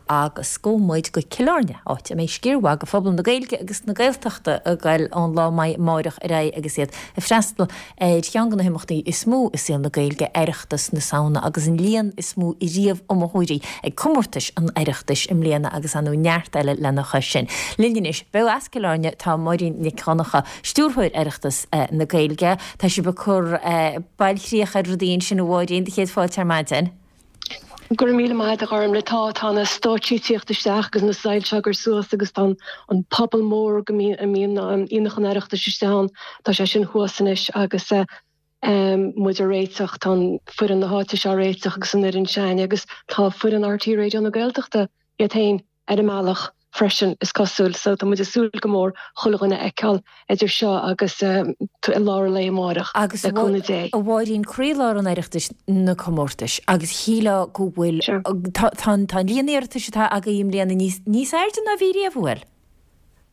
Agus gabhfaidh muid go Cill Airne, áit a mbeidh sciar mhaith de phobal na Gaeilge agus na Gaeltachta ag goil ón lá amáireach ar aghaidh agus iad ag freastal ar cheann de na himeachtaí is mó i saol na Gaeilge, Oireachtas na Samhna, agus an líon is mó riamh iomaitheoirí ag comórtais an Oireachtais i mbliana agus ar ndóigh neart eile lena chois sin. Linn anois, beo as Cill Airne, tá Máirín Nic Dhonncha, Stiúrthóir Oireachtas na Gaeilge. Tá sibh ag cur bailchríoch ar rudaí ansin a Mháirín, do chéad fáilte ar maidin. Go raibh míle maith agat a Ghormlaith. Tá, tá na stáitsí ag tíocht isteach agus na soilse á gcur suas agus tá an puball mór go mbíonn, a mbíonn aonach an Oireachtais istigh ann, tá sé sin thuas anois agus muid á réiteach, tá an foireann na háite seo á réiteach agus an fhoireann s'againne agus tá foireann RTÉ Raidió na Gaeltachta iad féin ar an mbealach freisin, is cosúil. So tá muid ag súil go mór chuile dhuine a fheiceáil idir seo agus i lár an lae amáireach, Agus le cúnamh Dé. a Mháirín, croílár an Oireachtais na comórtais agus shílfeá go bhfuil, tá an líon iarratais atá agaibh i mbliana níos, níos airde ná bhí riamh, an bhfuil?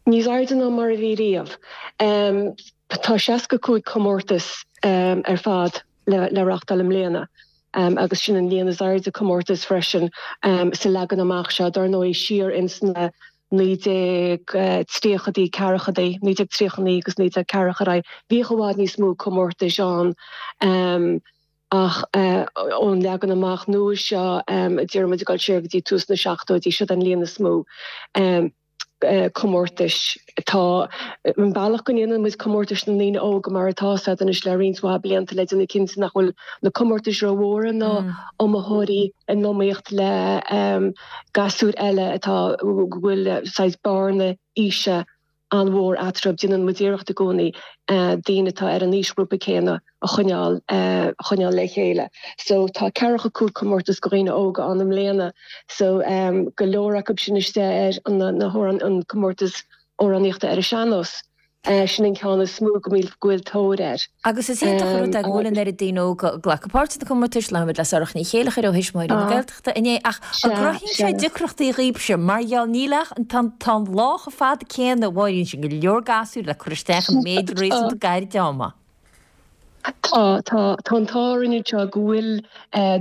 Níos airde ná mar a bhí riamh. Tá 65 comórtas ar fad le reáchtáil i mbliana agus sin an líon is airde comórtas freisin sa leagan amach seo. Dar ndóigh, siar ins na 1930idí, ceathrachaidí, 1939 agus 1940 ar aghaidh, bhíodh i bhfad níos mó comórtais ann ach ón leagan amach nua seo, déarfaidh muid ag dul siar go dtí tús na seachtóidí, siod an líon is mó. comórtais. Tá an bealach go ndéanann muid comórtais na ndaoine óga mar atá siad anois le roinnt mhaith blianta le déanamh cinnte nach bhfuil na comórtais rómhór ná iomaitheoirí in iomaíocht le gasúir eile atá go bhfuil saghas bearna aoise an-mhór eatarthu. Déanann muid iarracht i gcónaí daoine atá ar an aoisghrúpa céanna a choinneáil a choinneáil le chéile. So tá ceathracha 5 comórtas do dhaoine óga ann i mbliana. So go leor acu sin istigh ar na hamhráin an comórtas amhránaíochta ar an sean-nós. Sin an ceann is mó go bhfuil go bhfuil tóir air. Agus is iontach an rud é go bhfuil an oiread daoine óga ag glacadh páirt sna comórtais, labhair muid le Sorcha Ní Chéilleachair ó Thuismitheoirí na Gaeltachta inné, ach an gcruthaíonn sé deacrachtaí dhaoibhse mar gheall níl ach tá an lá chomh fada céanna, a Mháirín, sin go leor gasúir le cur isteach in méid réasúnta gairid ama. Tá, tá. Tá an t-ádh orainn anseo go bhfuil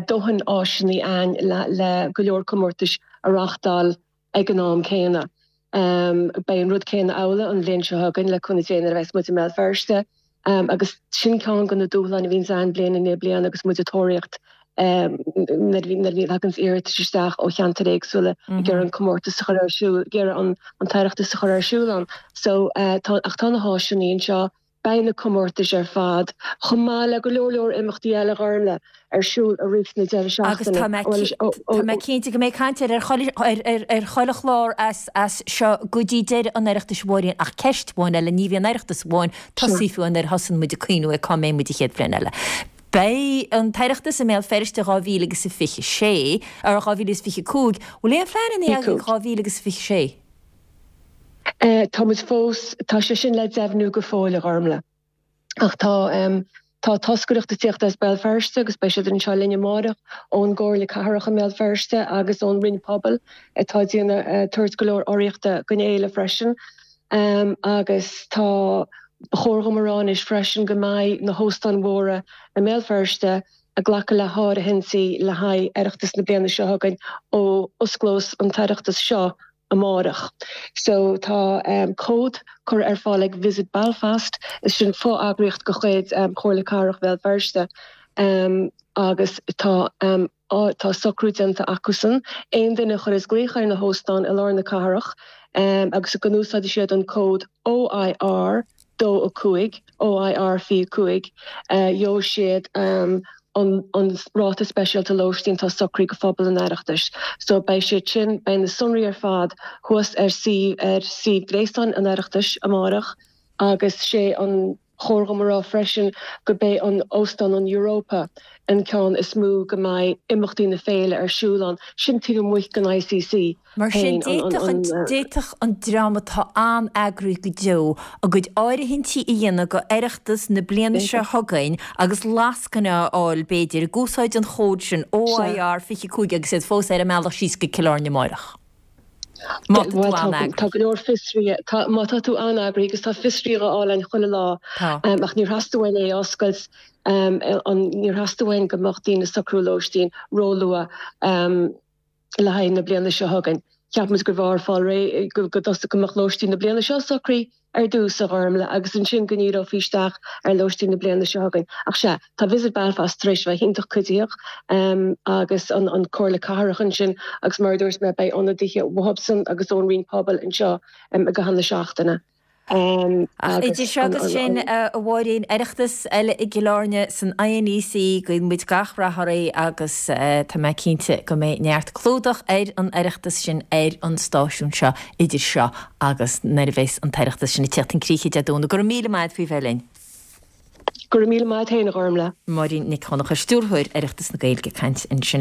dóthain áiseanna ann le go leor comórtais a reáchtáil ag an am céanna. Beidh an rud céanna amhlaidh an bhliain seo chugainn, le cúnamh Dé, nuair a bheas muid i mBéal Feirste. Agus sin ceann de na dúshláin a bhíonns ann bliain i ndiaidh bliana agus muid ag tóraíocht nuair a bhíonn thaganns iarratais isteach ó cheantair éagsúla ag iarraidh an comórtas a chur ar siúl, ag iarraidh an tOireachtas a chur ar siúl ann. So, tá, ach tá na háiseanna anseo. Beidh na comórtais ar fad, chomh maith le go leor leor imeachtaí eile, a Ghormlaith, ar siúl i rith na deireadh Agus seachtaine. tá mé tá mé cinnte go mbeidh caint air ar chuile ar chuile chlár as as seo go dtí deireadh an Oireachtais a Mháirín ach ceist amháin eile, ní bhíonn Oireachtas amháin tosaithe fiú nuair a thosaíonn muid ag cuimhniú ar cá mbeidh muid an chéad bhliain eile. Beidh an tOireachtas i mBéal Feirste 2026, or 2025, bhfuil aon phleananna agaibh 2026? Tá muid fós, tá sé sin le deimhniú go fóill, a Ghormlaith. Ach tá, tá toscaireacht ag tíocht as Béal Feirste agus beidh siad anseo linn amáireach ón gComhairle Cathrach i mBéal Feirste agus ón Roinn Pobail atá ag déanamh, tabhairt go leor urraíochta don fhéile freisin. Agus tá, ba chóir dhom a rá anois freisin go mbeidh na hóstáin mhóra i mBéal Feirste ag glacadh le háirithintí le haghaidh Oireachtas na bliana seo chugainn ó osclós an tOireachtas seo amárach. So tá cód curtha ar fáil ag Visit Belfast, is sin fo-eagraíocht de chuid Chomhairle Cathrach Bhéal Feirste agus tá tá socrú déanta acusan aon duine a chuireas glaoch ar na hóstáin i lár na cathrach agus go n-úsáidfidh siad an cód OIR 2 5, OIR 25, gheobhaidh siad an ráta speisialta lóistín atá socraithe do phobal an Oireachtais. So beidh siad sin, beidh na sonraí ar fad thuas ar suíomh, ar suíomh gréasáin an Oireachtais amárach agus sé an chóir dhom a rá freisin go b'é an Óstán an Europa an ceann is mó go mbeidh imeachtaí na féile ar siúl ann, sin taobh amuigh den ICC. Mar sin, d'fhéadfadh an dream atá an-eagraithe go deo a gcuid áirithintí a dhéanamh go Oireachtas na bliana seo chugainn agus lascaine a fháil, b'fhéidir, ag úsáid an chóid sin, OIR 25 agus iad fós ar a mbealach síos go Cill Airne amárach. Má tá tú an-eagraithe. Tá go leor fiosraithe, má tá tú an-eagraithe agus tá fiosraithe á fháil ann chuile lá ach níor theastaigh uainn é a oscailt, níor theastaigh uainn go mbeadh daoine ag socrú lóistín róluath. Le haghaidh na bliana seo chugainn. Cheap muid gurbh fhearr fáil réidh, go dtosódh, go mbeadh lóistín na bliana seo socraithe ar dtús, a Ghormlaith, agus ansin go ndíreofaí isteach ar lóistín na bliana seo chugainn. Ach sea, tá Visit Belfast tar éis a bheith iontach cuiditheach, agus an Comhairle Cathrach ansin, agus mar a dúirt mé, beidh ionadaithe uathubsan agus ón Roinn Pobail anseo i gcaitheamh na seachtaine. Ach idir seo agus sin, a Mháirín, Oireachtas eile i gCill Airne san INEC, guíonn muid gach rath oraibh agus tá mé cinnte go mbeidh neart clúdach ar an Oireachtas sin ar an stáisiún seo idir seo agus nuair a bheas an tOireachtas sin ag tíocht chun críche Dé Domhnaigh. Go raibh míle maith a't faoi bheith linn. Go raibh míle maith a't féin, a Ghormlaith. Máirín Nic Dhonncha, Stiúrthóir Oireachtas na Gaeilge ag caint ansin.